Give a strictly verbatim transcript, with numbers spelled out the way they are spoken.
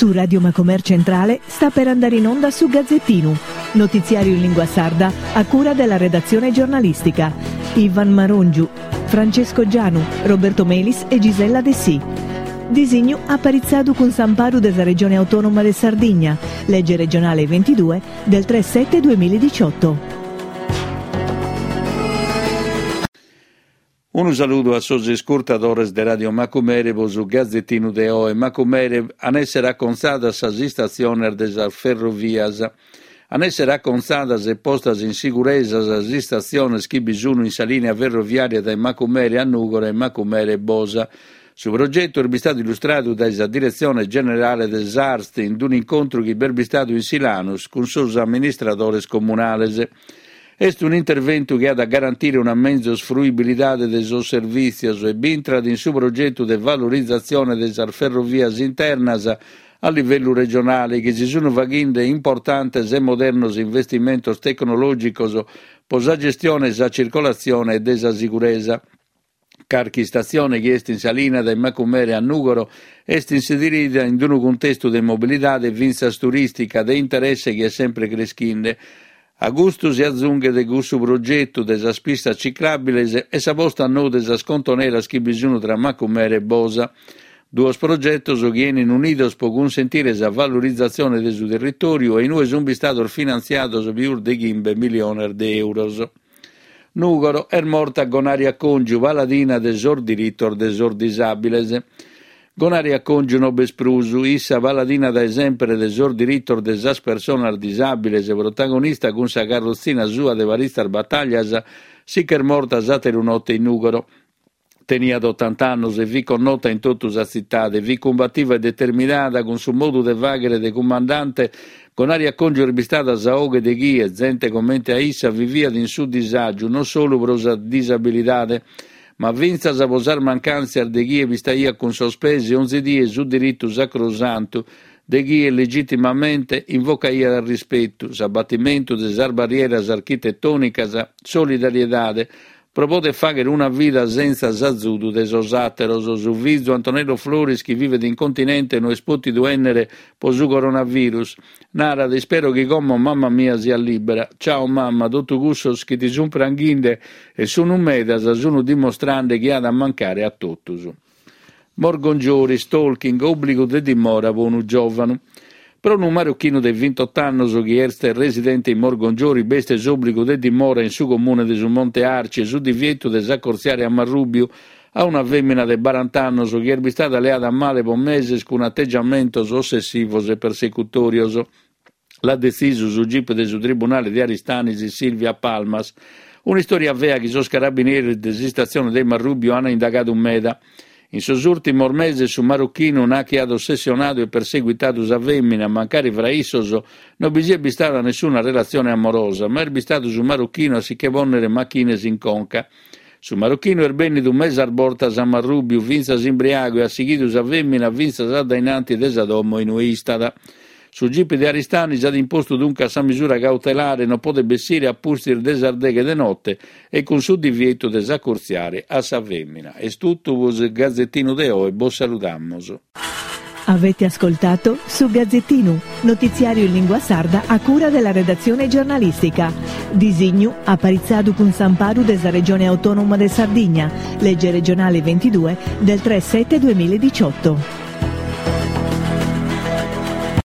Su Radio Macomer Centrale sta per andare in onda su Gazzettinu, notiziario in lingua sarda a cura della redazione giornalistica. Ivan Marongiu, Francesco Gianu, Roberto Melis e Gisella Dessì. Disignu aparitzadu cun s'amparu de sa Regione Autonoma de Sardigna, legge regionale ventidue del tre sette duemiladiciotto. Unu saludu a sos iscurtadores de Radio Macumere pro su Gazzettinu de oe. Macumere an essere acontzadas sas istatziones de sas ferrovias. An essere acontzadas e postas in siguresa sas istatziones chi bi sun in sa linea ferroviaria dae Macumere a Nùgoro e Macumere e Bosa. Su progetu est bistadu illustradu dae sa Diretzione Generale de s'Arst in un'incontru chi b'est bistadu in Silanus cun sos amministradores comunales. Est un'interventu chi at a garantire una menzus fruibilidade de sos servìtzios e b'intrat in su progetu de valorizatzione de sas ferrovias internas a livellu regionale chi si sunt faghende importantes e modernos investimentos tecnològicos pro sa gestione e sa circolatzione e de sa siguresa. Carchi istatzione chi est in sa linea dae Macumere a Nùgoro est inserida in unu cuntestu de mobilidade fintzas turìstica de interesse chi est sempre creschende. A custu si azunghet cussu progetu de sas pistas ciclàbiles e sa posta a nou de sas contoneras chi bi sunt tra Macumere e Bosa. Duos progetos chi enin unidos pro cunsentire sa valorizatzione de su territòriu e in ue sunt bistados finantziados pius de chimbe miliones de euros. Nùgoro est morta Gonaria Congiu, paladina de sos diritos de sos disàbiles. Gonaria Congiu no b'est prus, issa paladina dae sempre de sos diritos de sas personas disàbiles, protagonista cun sa carrotzina sua de paritzas batallas, si ch'est morta s'àteru note in Nùgoro. Teniat otanta annos e fit connota in totu sa tzitade, fit cumbativa e determinada cun su modu de fàghere de cumandante. Gonaria Congiu est bistada sa 'oghe de chie, zente comente a issa, viviat in su disàgiu non solu pro sa disabilidade, ma fintzas pro sas mancàntzias de chie pistaiat cun sos pes onzi die su diritu sacrosantu de chie legitimamente invocaiat rispetu, s'abatimentu de sas barrieras architetònicas, solidariedade, pro poder fàghere una vida sentza s'azudu de sos àteros. Su fizu Antonello Floris, chi vivet in continente, no est pòtidu ènnere pro su coronavirus. Narat, ispero chi como mamma mia siat libera. Ciao mamma, totu cussos chi ti sun pranghinde e sunu medas sunu dimostrande chi at a mancare a totus. Morgongiori, stalking, òbligu de dimora pro unu giòvanu. Pro unu marocchinu de vintotto annos chi est residente in Morgongiori b'est s'òbligu de dimora in su comune de su Monte Arci e su divietu de s'acortziare a Marrùbiu a una fèmina de baranta annos chi est bistada leada a male pro meses cun ategiamentos ossessivos e persecutòrios. L'at detzisu su G I P de su Tribunale de Aristanis Silvia Palmas. Un'istòria fea chi sos carabineris de s'istatzione de Marrùbiu ant indagadu meda. In sos ùrtimos meses su marocchinu nachi at ossessionadu e perseguitadu sa fèmina, mancari fra issos non bi siat bistada nessuna relatzione amorosa, ma est bistadu su marocchinu a si che pònnere machines in conca. Su marocchinu est bènnidu mesas bortas a Marrùbiu, fintzas imbriagu, e at sighidu sa fèmina fintzas a dainanti de sa domo in ue istat. Su G I P de Aristanis at impostu duncas sa misura cautelare, non podet bessire a pustis de sas deghe de notte e cun su divietu de s'acurtziare a sa fèmina. Est tutto pro su Gazzettinu de oe, bos saludamos. Avete ascoltato su Gazzettinu, notiziario in lingua sarda a cura della redazione giornalistica. Disignu aparitzadu cun s'amparu de sa Regione Autonoma de Sardigna, legge regionale ventidue del tre sette duemiladiciotto.